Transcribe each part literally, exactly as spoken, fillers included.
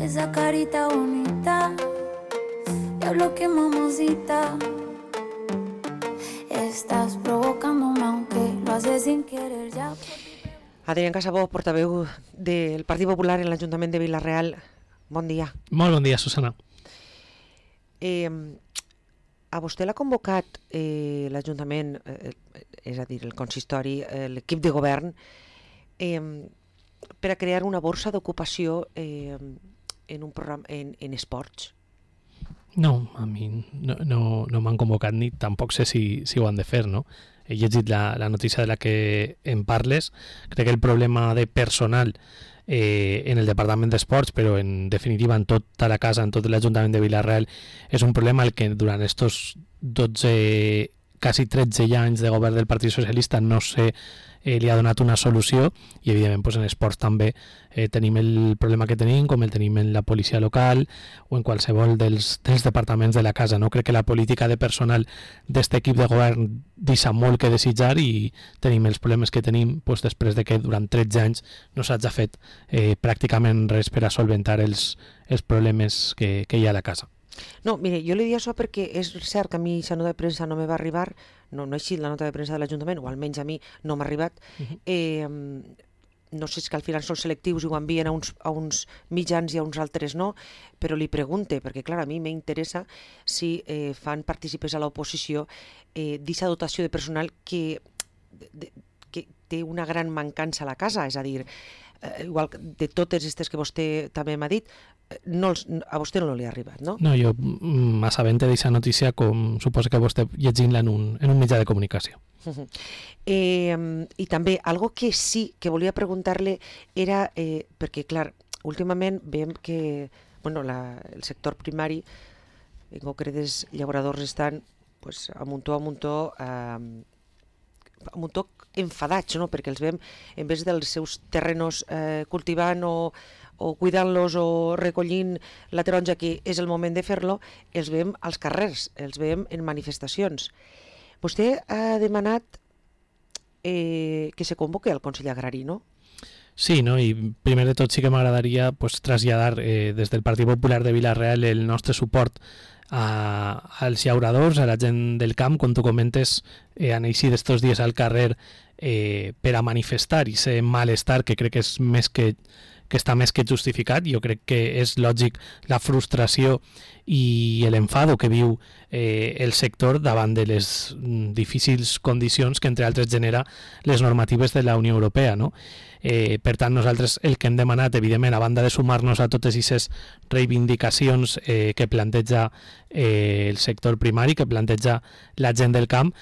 esa carita bonita, diablo que mamacita, estás provocándome aunque lo haces sin querer ya. Adrián Casabó, portaveu del Partit Popular en l'Ajuntament de Vila-real. Bon dia. Molt bon dia, Susana. Eh, a vostè l'ha convocat eh, l'Ajuntament, eh, és a dir, el consistori, eh, l'equip de govern, eh, per a crear una borsa d'ocupació eh, en un programa en, en esports? No, a mi no, no, no m'han convocat ni tampoc sé si, si ho han de fer, no? He llegit la, la notícia de la que em parles. Crec que el problema de personal eh, en el Departament d'Esports, però en definitiva en tota la casa, en tot l'Ajuntament de Vila-real, és un problema el que durant estos dotze, quasi tretze anys de govern del Partit Socialista no sé Eh, li ha donat una solució i evidentment pues, en esports també eh, tenim el problema que tenim com el tenim en la policia local o en qualsevol dels, dels departaments de la casa, no? Crec que la política de personal d'aquest equip de govern deixa molt que desitjar i tenim els problemes que tenim pues, després de que durant tretze anys no s'hagi fet eh, pràcticament res per a solventar els, els problemes que, que hi ha a la casa. No, mire, jo li dic això perquè és cert que a mi aquesta nota de premsa no me va arribar, no, no ha eixit la nota de premsa de l'Ajuntament, o almenys a mi no m'ha arribat. Uh-huh. eh, no sé si que al final són selectius i ho envien a uns, a uns mitjans i a uns altres no, però li pregunte, perquè clar, a mi m'interessa si eh, fan partícipes a l'oposició eh, d'aquesta dotació de personal que, de, que té una gran mancança a la casa, és a dir, eh, igual de totes aquestes que vostè també m'ha dit, no els, a vostè no li ha arribat, no? No, jo m'assabente d'aquesta notícia com suposo que vostè llegint-la en un, en un mitjà de comunicació. Uh-huh. eh, I també, algo que sí que volia preguntar-li era, eh, perquè clar, últimament veiem que bueno, la, el sector primari, en concret els llauradors estan pues, a muntó a muntó eh, a muntó enfadats, no? Perquè els veiem en vez dels seus terrenos eh, cultivant o o cuidant-los o recollint la taronja, que és el moment de fer-lo, els veiem als carrers, els veiem en manifestacions. Vostè ha demanat eh, que se convoque al Consell Agrari, no? Sí, no? I primer de tot sí que m'agradaria pues, traslladar eh, des del Partit Popular de Vila-real el nostre suport a, als llauradors, a la gent del camp, com tu comentes, eh, han eixit estos dies al carrer eh, per a manifestar i ser malestar, que crec que és més que que està més que justificat. Jo crec que és lògic la frustració i l'enfado que viu eh, el sector davant de les difícils condicions que entre altres genera les normatives de la Unió Europea, no? Eh, per tant, nosaltres el que hem demanat, evidentment, a banda de sumar-nos a totes aquestes reivindicacions eh, que planteja eh, el sector primari, que planteja la gent del camp,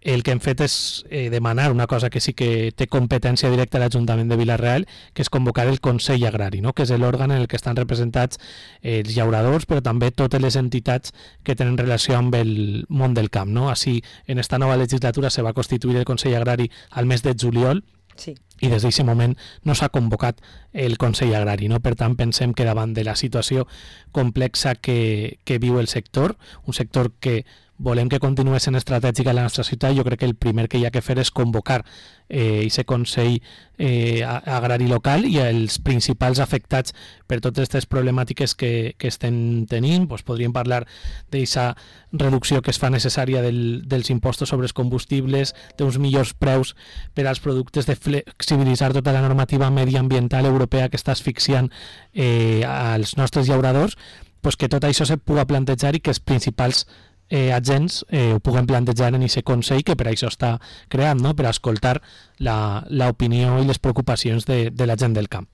el que hem fet és eh, demanar una cosa que sí que té competència directa a l'Ajuntament de Vila-real, que és convocar el Consell Agrari, no? Que és l'òrgan en el que estan representats eh, els llauradors, però també totes les entitats que tenen relació amb el món del camp, no? Així, en esta nova legislatura se va constituir el Consell Agrari al mes de juliol, sí. I des d'aquest moment no s'ha convocat el Consell Agrari, no? Per tant, pensem que davant de la situació complexa que, que viu el sector, un sector que volem que continuï sent estratègica a la nostra ciutat, jo crec que el primer que hi ha que fer és convocar eh, aquest Consell eh, Agrari local i els principals afectats per totes aquestes problemàtiques que, que estem tenint. Pues podríem parlar d'aquesta reducció que es fa necessària del, dels impostos sobre els combustibles, d'uns millors preus per als productes, de flexibilitzar tota la normativa mediambiental europea que està asfixiant eh, als nostres llauradors, pues que tot això se pugui plantejar i que els principals Eh, agents eh, ho puguem plantejar en aquest Consell que per això està creat, no? Per a escoltar l'opinió i les preocupacions de, de la gent del camp.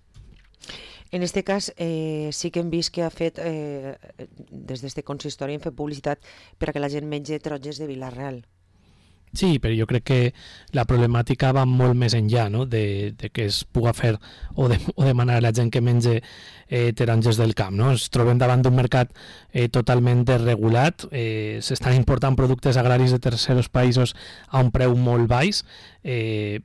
En aquest cas eh, sí que hem vist que ha fet eh, des d'aquest consistori hem fet publicitat per a que la gent mengi taronges de Vila-real. Sí, però jo crec que la problemàtica va molt més enllà, no? de, de que es pugui fer o, de, o demanar a la gent que mengi eh, taronges del camp. No? Ens trobem davant d'un mercat eh, totalment desregulat, eh, s'estan important productes agraris de tercers països a un preu molt baix, eh,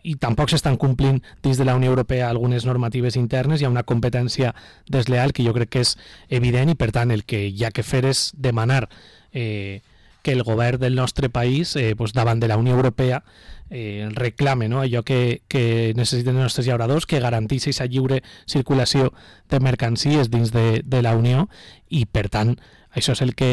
i tampoc s'estan complint dins de la Unió Europea algunes normatives internes, hi ha una competència desleal que jo crec que és evident i per tant el que hi ha que fer és demanar eh, que el govern del nostre país, eh, pues davant de la Unió Europea, eh, reclame, no? Allò que, que necessiten els nostres llauradors, que garanteixi aquesta lliure circulació de mercancies dins de, de la Unió i, per tant, això és el que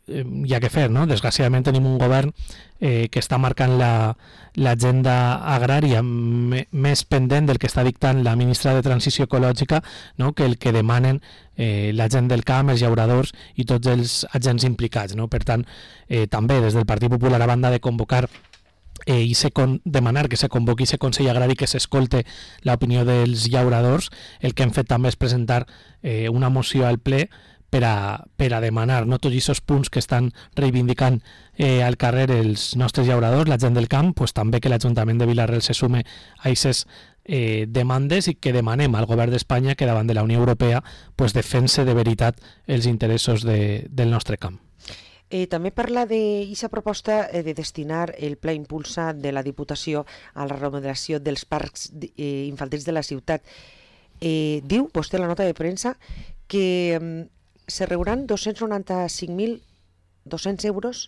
eh, hi ha que fer, no? Desgraciadament tenim un govern eh, que està marcant l'agenda la, agrària me, més pendent del que està dictant la ministra de Transició Ecològica, no? Que el que demanen eh, la gent del camp, els llauradors i tots els agents implicats, no? Per tant, eh, també des del Partit Popular, a banda de convocar eh, i se con, demanar que se convoqui aquest Consell Agrari, que s'escolte l'opinió dels llauradors, el que hem fet també és presentar eh, una moció al ple per a, per a demanar, no, tots aquests punts que estan reivindicant eh, al carrer els nostres llauradors, la gent del camp, pues, també que l'Ajuntament de Vila-real se sume a aquestes eh, demandes i que demanem al govern d'Espanya que davant de la Unió Europea pues, defense de veritat els interessos de, del nostre camp. Eh, també parla d'aquesta proposta eh, de destinar el Pla Impulsa de la Diputació a la remodelació dels parcs eh, infantils de la ciutat. Eh, diu vostè la nota de premsa que eh, se reuran dos-cents noranta-cinc mil dos-cents euros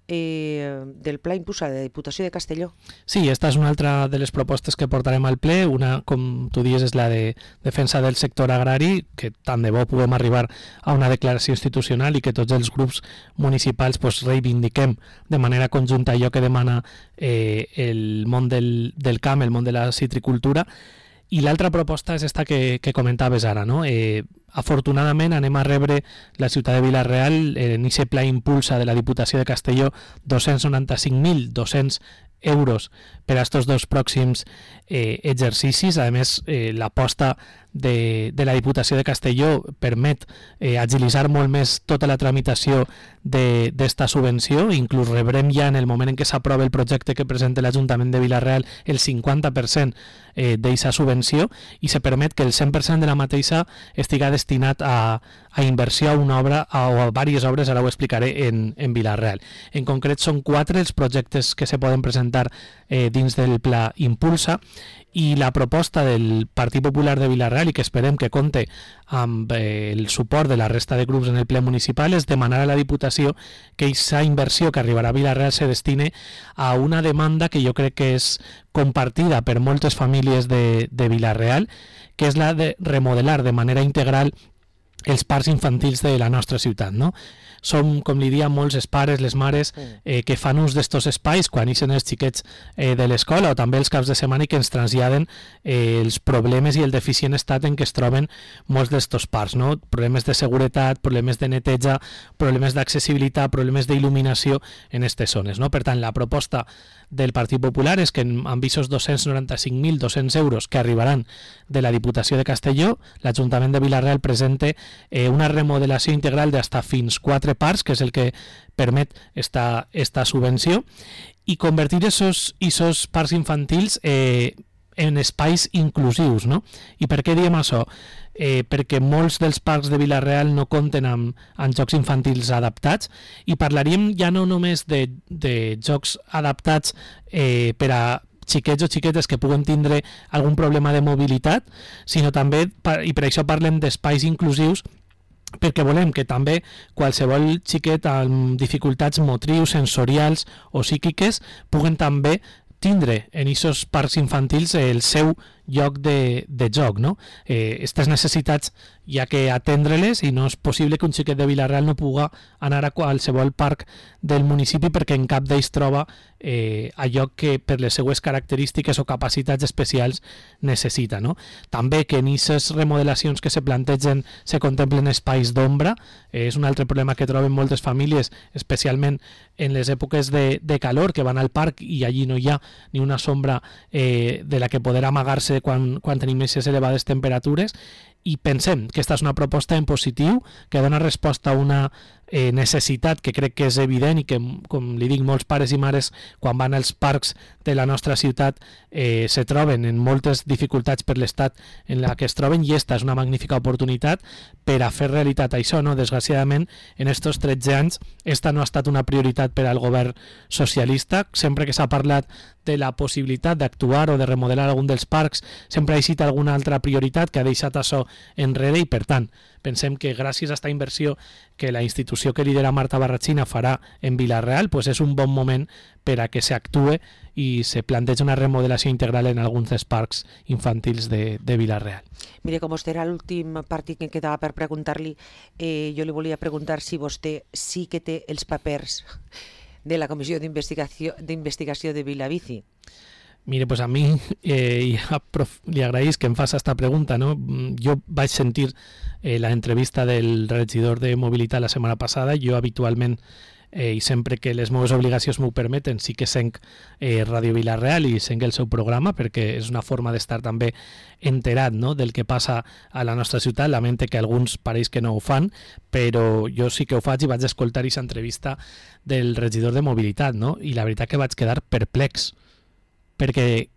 eh, del Pla Impulsa de la Diputació de Castelló. Sí, esta és una altra de les propostes que portarem al ple. Una, com tu dius, és la de defensa del sector agrari, que tant de bo puguem arribar a una declaració institucional i que tots els grups municipals pues, reivindiquem de manera conjunta allò que demana eh, el món del, del camp, el món de la citricultura. I l'altra proposta és esta que, que comentaves ara, no? Eh, afortunadament anem a rebre la ciutat de Vila-real eh, en aquest Pla Impulsa de la Diputació de Castelló dos-cents noranta-cinc mil dos-cents euros per a estos dos pròxims eh, exercicis. A més, eh, l'aposta de, de la Diputació de Castelló permet eh, agilitzar molt més tota la tramitació d'esta subvenció. Inclús rebrem ja en el moment en què s'aprova el projecte que presenta l'Ajuntament de Vila-real el cinquanta per cent eh, d'aquesta subvenció i se permet que el cent per cent de la mateixa estiga destinat a, a inversió a una obra a, o a diverses obres, ara ho explicaré, en, en Vila-real. En concret són quatre els projectes que se poden presentar eh, dins del Pla Impulsa i la proposta del Partit Popular de Vila-real i que esperem que compte amb eh, el suport de la resta de grups en el ple municipal és demanar a la Diputació que aquesta inversió que arribarà a Vila-real se destine a una demanda que jo crec que és compartida per moltes famílies de, de Vila-real, que és la de remodelar de manera integral els parcs infantils de la nostra ciutat, no? Som, com li dia, molts els pares, les mares, eh, que fan ús d'estos espais quan ixen els xiquets eh, de l'escola o també els caps de setmana i que ens traslladen eh, els problemes i el deficient estat en què es troben molts d'estos parcs, no? Problemes de seguretat, problemes de neteja, problemes d'accessibilitat, problemes d'il·luminació en aquestes zones, no? Per tant, la proposta del Partit Popular és que amb aquests dos-cents noranta-cinc mil dos-cents euros que arribaran de la Diputació de Castelló, l'Ajuntament de Vila-real presente eh, una remodelació integral d'hasta fins quatre parcs, que és el que permet esta, esta subvenció, i convertir esos, esos parcs infantils eh, en espais inclusius, no? I per què diem això? Eh, perquè molts dels parcs de Vila-real no compten amb, amb jocs infantils adaptats i parlaríem ja no només de, de jocs adaptats eh, per a xiquets o xiquetes que puguen tindre algun problema de mobilitat, sinó també, i per això parlem d'espais inclusius, perquè volem que també qualsevol xiquet amb dificultats motrius, sensorials o psíquiques puguen també tindre en aquests parcs infantils el seu lloc de, de joc, no? Eh, aquestes necessitats hi ha que atendre-les i no és possible que un xiquet de Vila-real no pugui anar a qualsevol parc del municipi perquè en cap d'ells troba eh, allò que per les seues característiques o capacitats especials necessita, no? També que en aquestes remodelacions que se plantegen se contemplen espais d'ombra, eh, és un altre problema que troben moltes famílies, especialment en les èpoques de, de calor, que van al parc i allí no hi ha ni una sombra eh, de la que poder amagar-se quan, quan tenim aquestes elevades temperatures, i pensem que aquesta és una proposta en positiu que dona resposta a una eh, necessitat que crec que és evident i que, com li dic, molts pares i mares quan van als parcs de la nostra ciutat eh, se troben en moltes dificultats per l'estat en la que es troben, i esta és una magnífica oportunitat per a fer realitat això, no? Desgraciadament, en estos tretze anys esta no ha estat una prioritat per al govern socialista. Sempre que s'ha parlat de la possibilitat d'actuar o de remodelar algun dels parcs, sempre ha existit alguna altra prioritat que ha deixat això enrere i, per tant, pensem que gràcies a aquesta inversió que la institució que lidera Marta Barrachina farà en Vila-real, pues és un bon moment per a que s'actue i se planteja una remodelació integral en alguns dels parcs infantils de, de Vila-real. Mire, com vostè era l'últim partit que em quedava per preguntar-li, eh, jo li volia preguntar si vostè sí que té els papers de la Comissió d'Investigació d'Investigació de Vilabici. Mire, pues a mi eh, li agraïs que em faci aquesta pregunta, no? Jo vaig sentir eh, la entrevista del regidor de Mobilitat la setmana passada. Jo habitualment eh, i sempre que les meves obligacions m'ho permeten sí que senc eh, Ràdio Vila-real i senc el seu programa, perquè és una forma d'estar també enterat, no?, del que passa a la nostra ciutat. Lamente que alguns pareix que no ho fan, però jo sí que ho faig i vaig escoltar aquesta entrevista del regidor de Mobilitat, no? I la veritat que vaig quedar perplex, perquè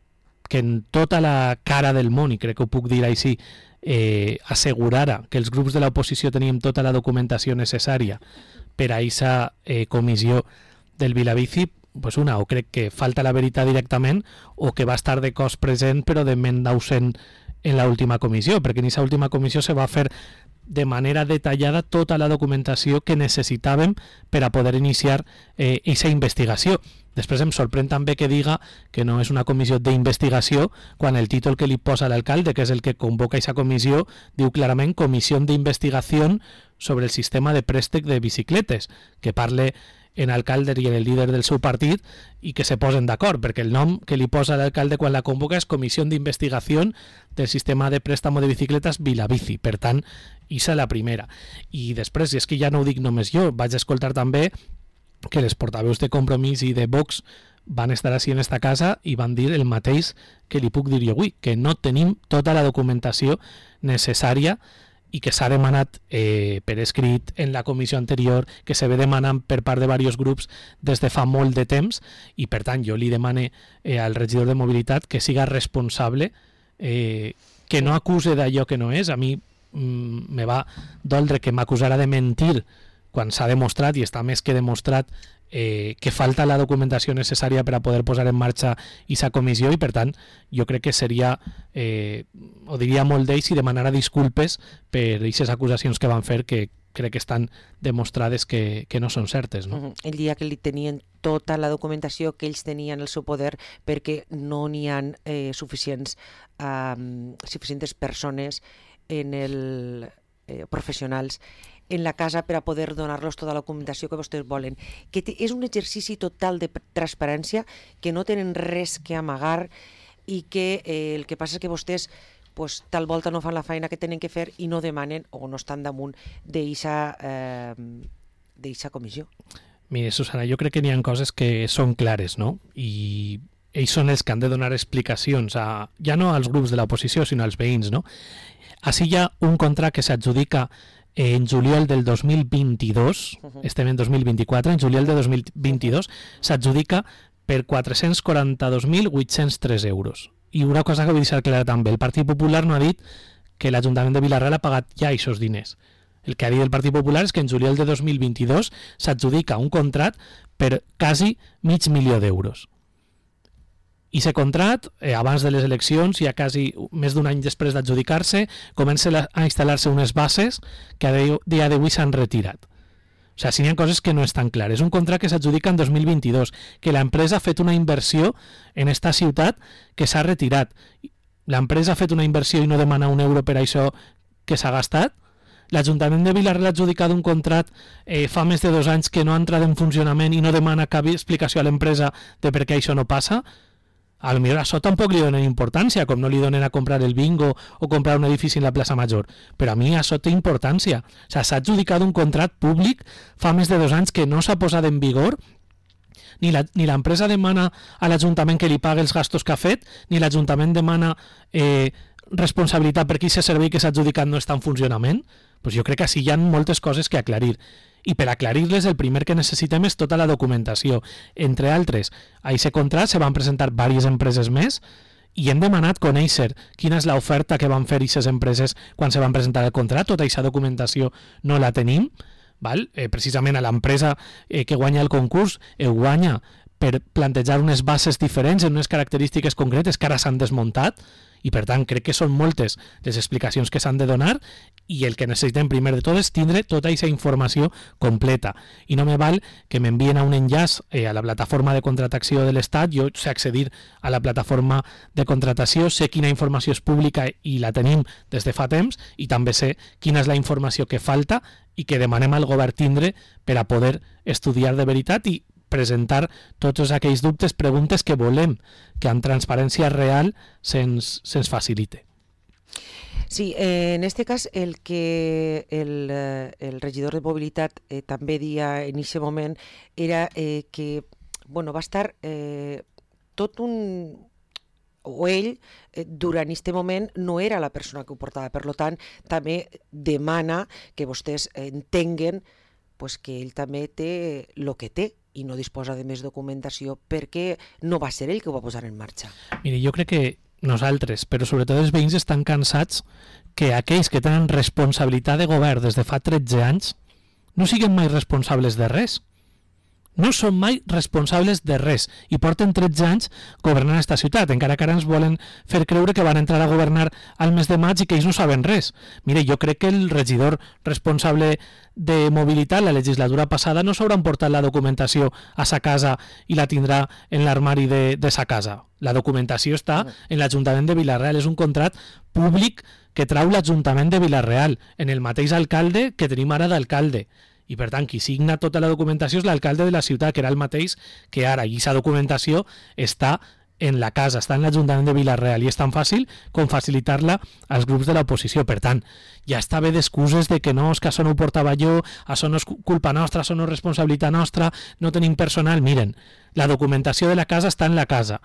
que en tota la cara del món, i crec que ho puc dir així, eh, assegurara que els grups de l'oposició teníem tota la documentació necessària per a aquesta eh, comissió del Vilabici, pues una, o crec que falta la veritat directament, o que va estar de cos present però de ment ausent en l'última comissió, perquè en aquesta última comissió se va fer de manera detallada tota la documentació que necessitàvem per a poder iniciar aquesta eh, investigació. Després em sorprèn també que diga que no és una comissió d'investigació quan el títol que li posa l'alcalde, que és el que convoca aquesta comissió, diu clarament Comissió d'Investigació sobre el sistema de préstec de bicicletes, que parle en alcalde i en el líder del seu partit i que se posen d'acord, perquè el nom que li posa l'alcalde quan la convoca és Comissió d'Investigació del sistema de préstamo de bicicletes Vilabici. Per tant, isa la primera. I després, i és que ja no ho dic només jo, vaig escoltar també que les portaveus de Compromís i de Vox van estar així en esta casa i van dir el mateix que li puc dir jo avui, que no tenim tota la documentació necessària i que s'ha demanat eh, per escrit en la comissió anterior, que se ve demanant per part de diversos grups des de fa molt de temps, i per tant jo li demane eh, al regidor de Mobilitat que siga responsable, eh, que no acuse d'allò que no és. A mi mm, me va doldre que m'acusara de mentir quan s'ha demostrat, i està més que demostrat, eh, que falta la documentació necessària per a poder posar en marxa aquesta comissió, i per tant jo crec que seria, eh, ho diria molt d'ells, i demanara disculpes per aquestes acusacions que van fer, que crec que estan demostrades que, que no són certes, no? Uh-huh. El dia que li tenien tota la documentació que ells tenien al seu poder, perquè no n'hi ha eh, suficients, um, suficients persones en el, eh, professionals en la casa per a poder donar-los tota la documentació que vostès volen, que és un exercici total de transparència, que no tenen res que amagar i que eh, el que passa és que vostès pues, tal volta no fan la feina que tenen que fer i no demanen o no estan damunt d'eixa eh, comissió. Mire, Susana, jo crec que n'hi ha coses que són clares, no? I ells són els que han de donar explicacions, a, ja no als grups de l'oposició, sinó als veïns, no? Així hi ha un contracte que s'adjudica en juliol del dos mil vint-i-dos, uh-huh. estem en dos mil vint-i-quatre, en juliol de dos mil vint-i-dos s'adjudica per quatre-cents quaranta-dos mil vuit-cents tres euros. I una cosa que vull deixar clara també, el Partit Popular no ha dit que l'Ajuntament de Vila-real ha pagat ja aquests diners. El que ha dit el Partit Popular és que en juliol de dos mil vint-i-dos s'adjudica un contracte per quasi mig milió d'euros. I aquest contracte, eh, abans de les eleccions, ja quasi més d'un any després d'adjudicar-se, comença a instal·lar-se unes bases que a dia d'avui s'han retirat. O sigui, si hi ha coses que no estan clares. Un contracte que s'adjudica en dos mil vint-i-dos, que l'empresa ha fet una inversió en esta ciutat que s'ha retirat. L'empresa ha fet una inversió i no demana un euro per això que s'ha gastat. L'Ajuntament de Vila-real ha adjudicat un contracte eh, fa més de dos anys que no ha entrat en funcionament i no demana cap explicació a l'empresa de per què això no passa. A lo millor això tampoc li donen importància, com no li donen a comprar el bingo o comprar un edifici en la plaça Major. Però a mi això té importància. O sigui, s'ha adjudicat un contracte públic fa més de dos anys que no s'ha posat en vigor, ni la, ni l'empresa demana a l'Ajuntament que li pagui els gastos que ha fet, ni l'Ajuntament demana eh, responsabilitat per aquest servei que s'ha adjudicat no està en funcionament. Pues jo crec que així hi ha moltes coses que aclarir. I per aclarir-les el primer que necessitem és tota la documentació. Entre altres, a aquest contracte se van presentar diverses empreses més i hem demanat conèixer quina és l'oferta que van fer aquestes empreses quan se van presentar el contracte. Tota aquesta documentació no la tenim. Val? Eh, precisament a l'empresa eh, que guanya el concurs eh, guanya per plantejar unes bases diferents en unes característiques concretes que ara s'han desmuntat, i per tant crec que són moltes les explicacions que s'han de donar, i el que necessitem primer de tot és tindre tota aquesta informació completa, i no me val que m'envien a un enllaç eh, a la plataforma de contratació de l'Estat. Jo sé accedir a la plataforma de contratació, sé quina informació és pública i la tenim des de fa temps, i també sé quina és la informació que falta i que demanem al govern tindre per a poder estudiar de veritat i presentar tots aquells dubtes, preguntes que volem que amb transparència real se'ns se'ns facilite. Sí, eh, en este cas el que el, eh, el regidor de mobilitat eh, també dia en aquest moment era eh, que bueno, va estar eh, tot un... o ell, eh, durant aquest moment, no era la persona que ho portava. Per tant, també demana que vostès entenguen pues, que ell també té el que té i no disposa de més documentació perquè no va ser ell que ho va posar en marxa. Mire, jo crec que nosaltres, però sobretot els veïns, estan cansats que aquells que tenen responsabilitat de govern des de fa tretze anys no siguin mai responsables de res. No són mai responsables de res i porten tretze anys governant aquesta ciutat, encara que ara ens volen fer creure que van entrar a governar al mes de maig i que ells no saben res. Mire, jo crec que el regidor responsable de mobilitat la legislatura passada no s'haurà portat la documentació a sa casa i la tindrà en l'armari de, de sa casa. La documentació està en l'Ajuntament de Vila-real, és un contrat públic que trau l'Ajuntament de Vila-real, en el mateix alcalde que tenim ara d'alcalde. I per tant, qui signa tota la documentació és l'alcalde de la ciutat, que era el mateix que ara, i aquesta documentació està en la casa, està en l'Ajuntament de Vila-real, i és tan fàcil com facilitar-la als grups de l'oposició. Per tant, ja està bé d'excuses de que no, és que això no ho portava jo, això no és culpa nostra, això no és responsabilitat nostra, no tenim personal. Miren, la documentació de la casa està en la casa,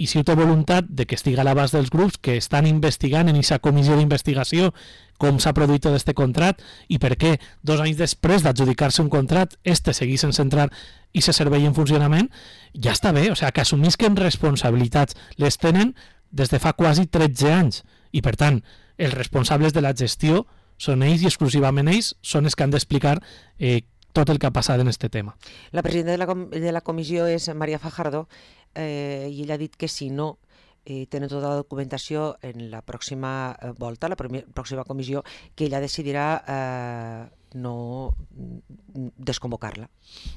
i si ho té voluntat de que estigui a l'abast dels grups que estan investigant en aquesta comissió d'investigació com s'ha produït tot aquest contrat i per què dos anys després d'adjudicar-se un contrat este seguís sense entrar i se servei en funcionament, ja està bé. O sigui, que assumisquen responsabilitats, les tenen des de fa quasi tretze anys, i per tant els responsables de la gestió són ells i exclusivament ells són els que han d'explicar eh, tot el que ha passat en aquest tema. La presidenta de la, com de la comissió és Maria Fajardo, eh, i ella ha dit que si no eh, tenen tota la documentació en la pròxima eh, volta, la pròxima comissió, que ella decidirà eh, no desconvocar-la.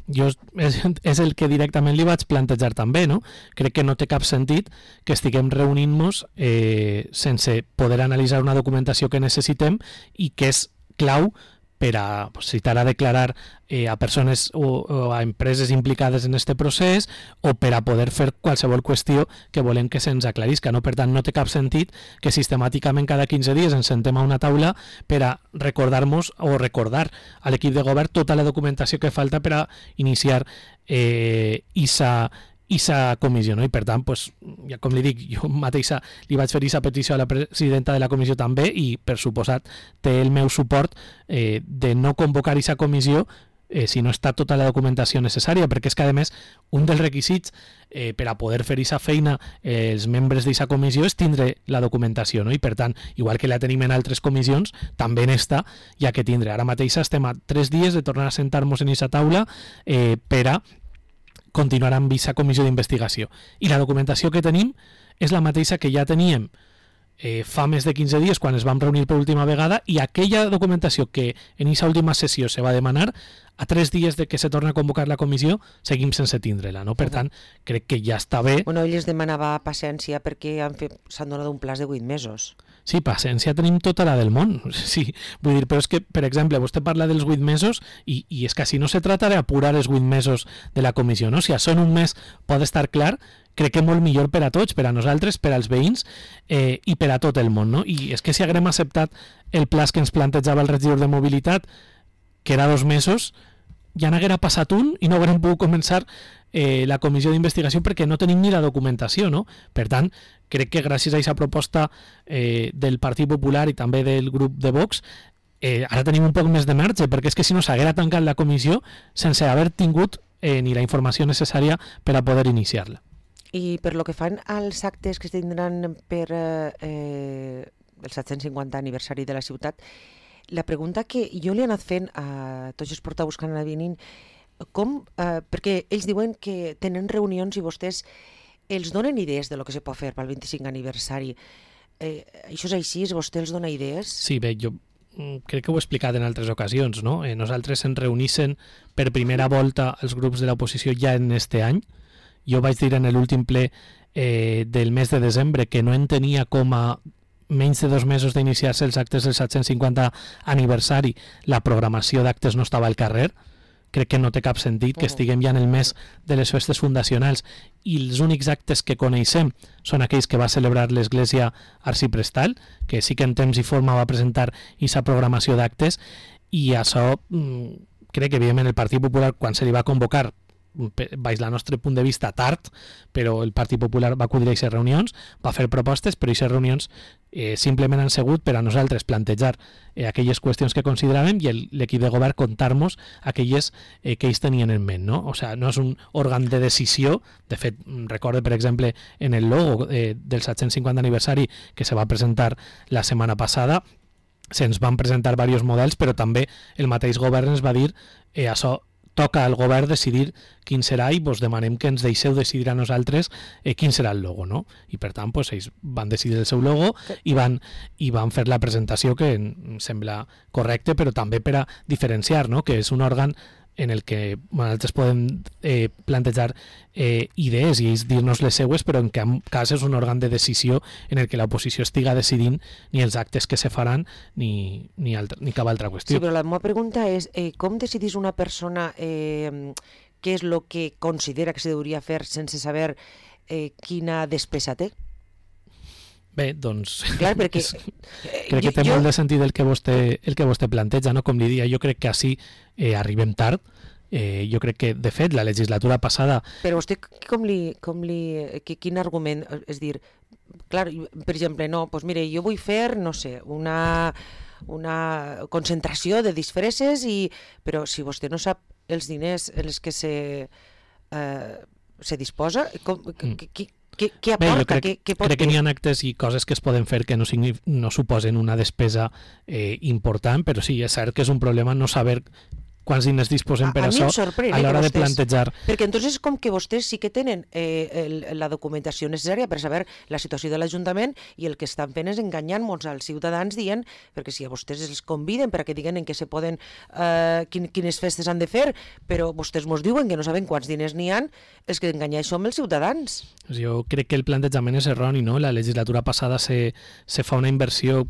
Jo és, és el que directament li vaig plantejar també, no? Crec que no té cap sentit que estiguem reunint-nos eh, sense poder analitzar una documentació que necessitem i que és clau per a, pues, si t'ha de declarar eh, a persones o, o a empreses implicades en este procés o per a poder fer qualsevol qüestió que volem que se'ns aclarisca. No? Per tant, no té cap sentit que sistemàticament cada quinze dies ens sentem a una taula per a recordar-nos o recordar a l'equip de govern tota la documentació que falta per a iniciar eh, isa i sa comissió, no? I per tant, pues, ja com li dic, jo mateixa li vaig fer aquesta petició a la presidenta de la comissió també i, per suposat, té el meu suport eh, de no convocar aquesta comissió eh, si no està tota la documentació necessària, perquè és que, a més, un dels requisits eh, per a poder fer aquesta feina eh, els membres d'aquesta comissió és tindre la documentació, no? I per tant, igual que la tenim en altres comissions, també en esta hi ha que tindre. Ara mateix estem a tres dies de tornar a sentar-nos en aquesta taula eh, per a continuar amb aquesta comissió d'investigació. I la documentació que tenim és la mateixa que ja teníem eh, fa més de quinze dies quan es vam reunir per última vegada, i aquella documentació que en aquesta última sessió se va demanar, a tres dies de que se torna a convocar la comissió, seguim sense tindre-la. No? Per tant, crec que ja està bé. Bueno, ell es demanava paciència perquè s'han donat un plaç de vuit mesos. Sí, paciència tenim tota la del món. Sí, vull dir, però és que, per exemple, vostè parla dels vuit mesos i, i és que si no se trata d'apurar els vuit mesos de la comissió, no? Si això en un mes pot estar clar, crec que molt millor per a tots, per a nosaltres, per als veïns eh, i per a tot el món, no? I és que si haguem acceptat el plaç que ens plantejava el regidor de mobilitat, que era dos mesos, ja n'haguera passat un i no haguérem pogut començar eh, la comissió d'investigació perquè no tenim ni la documentació, no? Per tant, crec que gràcies a aquesta proposta eh, del Partit Popular i també del grup de Vox, eh, ara tenim un poc més de marge, perquè és que si no s'haguera tancat la comissió sense haver tingut eh, ni la informació necessària per a poder iniciar-la. I per lo que fan als actes que es tindran per eh, el set-cents cinquanta aniversari de la ciutat, la pregunta que jo li he anat fent a tots els portaveus que han anat venint com, eh, perquè ells diuen que tenen reunions i vostès els donen idees de lo que se pot fer pel vint-i-cinc aniversari. Eh, això és així? Vostè els dona idees? Sí, bé, jo crec que ho he explicat en altres ocasions, no? Eh, nosaltres ens reunissen per primera volta els grups de l'oposició ja en este any. Jo vaig dir en l'últim ple eh, del mes de desembre que no entenia com a menys de dos mesos d'iniciar-se els actes del set-cents cinquanta aniversari la programació d'actes no estava al carrer. Crec que no té cap sentit que estiguem ja en el mes de les festes fundacionals i els únics actes que coneixem són aquells que va celebrar l'Església Arciprestal, que sí que en temps i forma va presentar aquesta programació d'actes, i això crec que evidentment el Partit Popular, quan se li va convocar baix el nostre punt de vista tard, però el Partit Popular va acudir a aquestes reunions, va fer propostes, però aquestes reunions eh, simplement han sigut per a nosaltres plantejar eh, aquelles qüestions que consideràvem i l'equip de govern contar-nos aquelles eh, que ells tenien en ment, no? O sigui, no és un òrgan de decisió. De fet, recorde, per exemple, en el logo eh, del set-cents cinquanta aniversari que se va presentar la setmana passada, se'ns van presentar diversos models, però també el mateix govern ens va dir eh, això toca al govern decidir quin serà i vos demanem que ens deixeu decidir a nosaltres eh, quin serà el logo, no? I per tant, pues, ells van decidir el seu logo i van, i van fer la presentació que em sembla correcte, però també per a diferenciar, no? Que és un òrgan en el que nosaltres podem eh, plantejar eh, idees i ells dir-nos les seues, però en cap cas és un òrgan de decisió en el que l'oposició estiga decidint ni els actes que se faran ni, ni, altra, ni cap altra qüestió. Sí, però la meva pregunta és eh, com decidís una persona eh, què és el que considera que se hauria fer sense saber eh, quina despesa té? Bé, doncs clar, perquè, és, crec que té jo, molt de sentit el que vostè, el que vostè planteja, no? Com li dia, jo crec que així eh, arribem tard. Eh, jo crec que, de fet, la legislatura passada... Però vostè com li... Com li que, quin argument... És dir, clar, per exemple, no, doncs mire, jo vull fer, no sé, una, una concentració de disfresses, i, però si vostè no sap els diners en els que se, eh, se disposa, com, mm. que, que, Què, què aporta? Bé, crec, què, què pot crec que n'hi ha actes i coses que es poden fer que no, no suposen una despesa eh, important, però sí, és cert que és un problema no saber quants diners disposem per a, a això a l'hora de plantejar. Perquè entonces com que vostès sí que tenen eh, el, la documentació necessària per saber la situació de l'Ajuntament i el que estan fent és enganyant-nos als ciutadans dient, perquè si a vostès els conviden per a que diguen en què se poden, eh, quin, quines festes han de fer, però vostès mos diuen que no saben quants diners n'hi han, els que enganyats som els ciutadans. Jo crec que el plantejament és erroni, no? La legislatura passada se, se fa una inversió,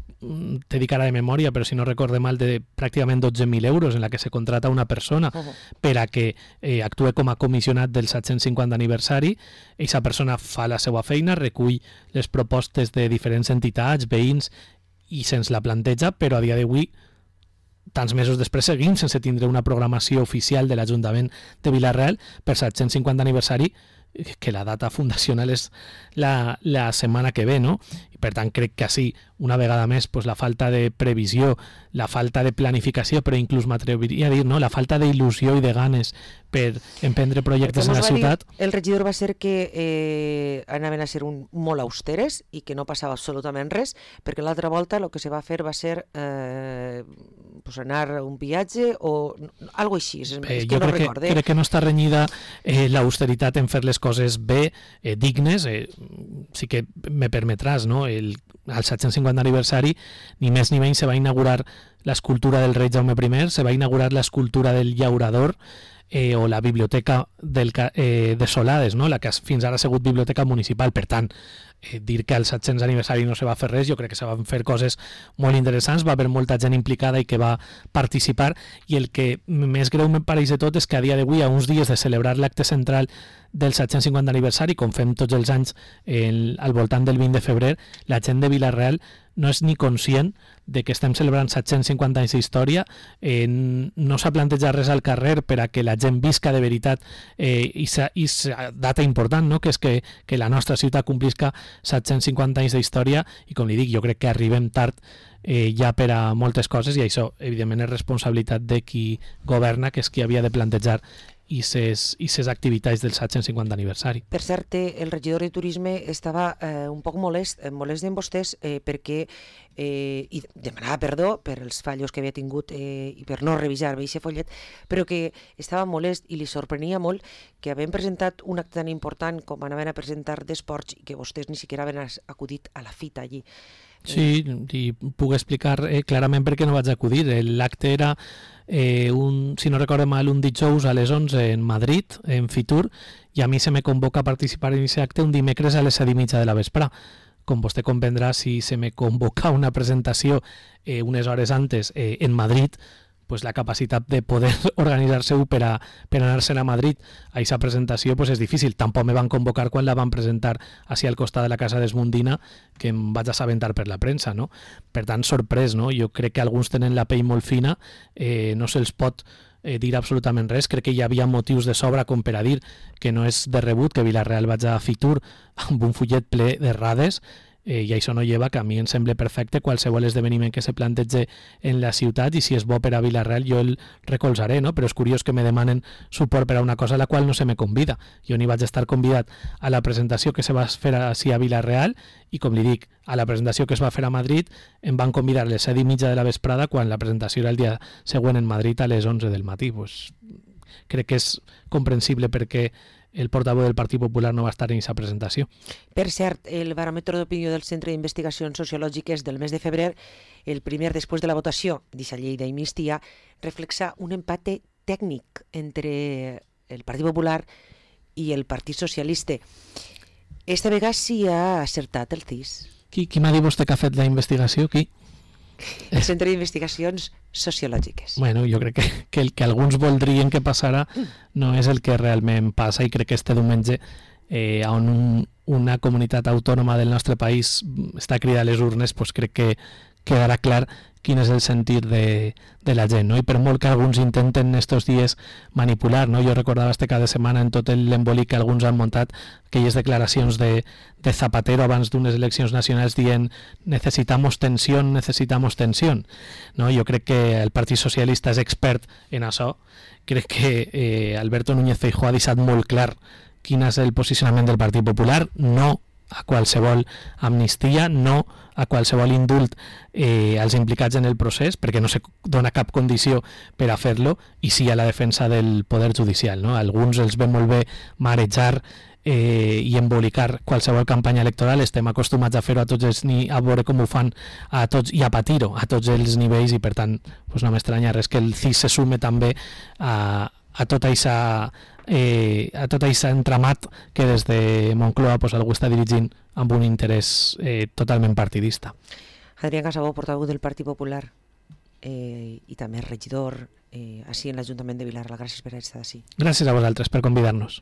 te dic ara de memòria, però si no recorde mal, de pràcticament dotze mil euros en la que se contrata una persona uh -huh. per a que eh, actue com a comissionat del set-cents cinquanta aniversari. Aquesta persona fa la seva feina, recull les propostes de diferents entitats, veïns, i se'ns la planteja, però a dia d'avui, tants mesos després, seguim sense tindre una programació oficial de l'Ajuntament de Vila-real per set-cents cinquanta aniversari, que la data fundacional és la, la setmana que ve, no? I per tant crec que així, una vegada més, pues, la falta de previsió, la falta de planificació, però inclús m'atreviria a dir, no? La falta d'il·lusió i de ganes per emprendre projectes en la ciutat. Dir, el regidor va ser que eh, anaven a ser un, molt austeres i que no passava absolutament res, perquè l'altra volta el que se va fer va ser eh, pues anar a un viatge o algo així, és, Bé, és que jo no crec recorde. Que, crec que no està renyida eh, l'austeritat en fer les coses bé, eh, dignes, eh, sí que me permetràs, no? El, al set-cents cinquanta aniversari, ni més ni menys, se va inaugurar l'escultura del rei Jaume primer, se va inaugurar l'escultura del llaurador, eh, o la biblioteca del, eh, de Solades, no? La que fins ara ha sigut biblioteca municipal. Per tant, eh, dir que al set-cents aniversari no se va fer res, jo crec que se van fer coses molt interessants, va haver molta gent implicada i que va participar, i el que més greu me pareix de tot és que a dia d'avui, a uns dies de celebrar l'acte central del set-cents cinquanta aniversari, com fem tots els anys el, al voltant del vint de febrer, la gent de Vila-real no és ni conscient de que estem celebrant set-cents cinquanta anys d'història, eh, no s'ha plantejat res al carrer per a que la gent visca de veritat eh, i sa data important, no? Que és que, que la nostra ciutat complisca set-cents cinquanta anys d'història, i com li dic, jo crec que arribem tard eh, ja per a moltes coses, i això evidentment és responsabilitat de qui governa, que és qui havia de plantejar i ses, i ses activitats del set cents cinquanta aniversari. Per cert, el regidor de Turisme estava eh, un poc molest, molest amb vostès eh, perquè eh, i demanava perdó per els fallos que havia tingut eh, i per no revisar aquest follet, però que estava molest i li sorprenia molt que havien presentat un acte tan important com anaven a presentar d'esports i que vostès ni siquiera havien acudit a la fita allí. Sí, i puc explicar eh, clarament per què no vaig acudir. L'acte era, eh, un, si no recordo mal, un dijous a les onze en Madrid, en Fitur, i a mi se me convoca a participar en aquest acte un dimecres a les set i mitja de la vespre. Com vostè comprendrà, si se me convoca una presentació eh, unes hores antes eh, en Madrid, pues la capacitat de poder organitzar-se per, a, per anar-se'n a Madrid a aquesta presentació pues és difícil. Tampoc me van convocar quan la van presentar així al costat de la Casa d'Esmundina, que em vaig assabentar per la premsa, no? Per tant, sorprès, no? Jo crec que alguns tenen la pell molt fina, eh, no se'ls pot eh, dir absolutament res. Crec que hi havia motius de sobra com per a dir que no és de rebut que Vila-real vaig a Fitur amb un fullet ple d'errades, Eh, i això no lleva que a mi em sembla perfecte qualsevol esdeveniment que se plantege en la ciutat, i si és bo per a Vila-real jo el recolzaré, no? Però és curiós que me demanen suport per a una cosa a la qual no se me convida. Jo ni vaig estar convidat a la presentació que se va fer així a Vila-real, i com li dic, a la presentació que es va fer a Madrid em van convidar a les set i mitja de la vesprada quan la presentació era el dia següent en Madrid a les onze del matí. Pues, crec que és comprensible perquè el portaveu del Partit Popular no va estar en aquesta presentació. Per cert, el baròmetre d'opinió del Centre d'Investigacions Sociològiques del mes de febrer, el primer després de la votació d'aquesta llei d'amnistia, reflexa un empate tècnic entre el Partit Popular i el Partit Socialista. Esta vegada sí ha acertat el C I S. Qui, qui m'ha dit vostè que ha fet la investigació? Qui? El Centre d'Investigacions Sociològiques. Bueno, jo crec que, que el que alguns voldrien que passara no és el que realment passa, i crec que este diumenge eh, on un, una comunitat autònoma del nostre país està cridant a les urnes, pues crec que quedarà clar quin és el sentit de, de la gent, no? I per molt que alguns intenten estos dies manipular, no? Jo recordava este cada setmana en tot l'embolic que alguns han muntat aquelles declaracions de, de Zapatero abans d'unes eleccions nacionals dient necesitamos tensión, necesitamos tensión, no? Jo crec que el Partit Socialista és expert en això. Crec que eh, Alberto Núñez Feijóo ha deixat molt clar quin és el posicionament del Partit Popular, no a qualsevol amnistia, no a qualsevol indult eh, als implicats en el procés, perquè no se dona cap condició per a fer-lo, i sí a la defensa del poder judicial, no? Alguns els ve molt bé marejar eh, i embolicar qualsevol campanya electoral. Estem acostumats a fer-ho a tots els ni a veure com ho fan a tots i a patir-ho a tots els nivells, i per tant pues no m'estranya res que el C I S se sume també a, a tota aquesta Eh, a tot aquest entramat que des de Moncloa pues, algú està dirigint amb un interès eh, totalment partidista. Adrián Casabó, portaveu del Partit Popular eh, i també regidor eh, així en l'Ajuntament de Vilar. Gràcies per estar així. Gràcies a vosaltres per convidar-nos.